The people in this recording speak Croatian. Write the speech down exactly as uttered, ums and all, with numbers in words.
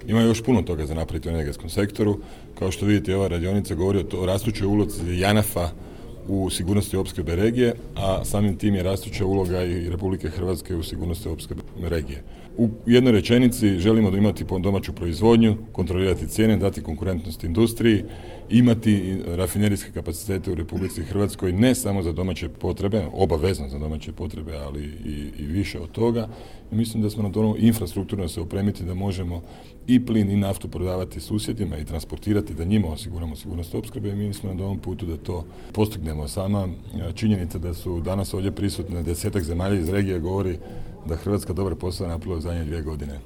Ima još puno toga za napraviti u energetskom sektoru. Kao što vidite, ova radionica govori o, to, o rastućoj ulozi JANAF-a u sigurnosti opskrbe regije, a samim tim je rastuća uloga i Republike Hrvatske u sigurnosti opskrbe regije. U jednoj rečenici želimo da imati domaću proizvodnju, kontrolirati cijene, dati konkurentnost industriji, imati rafinerijske kapacitete u Republici Hrvatskoj ne samo za domaće potrebe, obavezno za domaće potrebe, ali i, i više od toga. I mislim da smo na to infrastrukturno se opremiti da možemo i plin i naftu prodavati susjedima i transportirati, da njima osiguramo sigurnost opskrbe i mi smo na ovom putu da to postignemo. Sama činjenica da su danas ovdje prisutne desetak zemalja iz regije govori da Hrvatska dobar posao napravila u zadnje dvije godine.